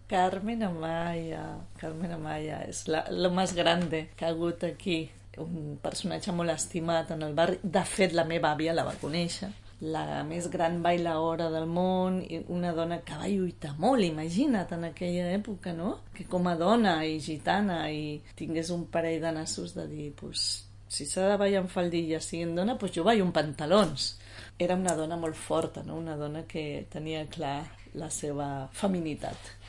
Carmen Amaya és la més grande que ha hagut aquí, un personatge molt estimat en el barri. De fet, la meva àvia la va conèixer, la més gran bailaora del món, i una dona que va lluitar molt, imagina't, en aquella època, no? Que com a dona i gitana i tingués un parell de nassos de dir, pues, si s'ha de ballar en faldilla siguin dona, pues jo ballo en pantalons. Era una dona molt forta, no? Una dona que tenia clar la seva feminitat.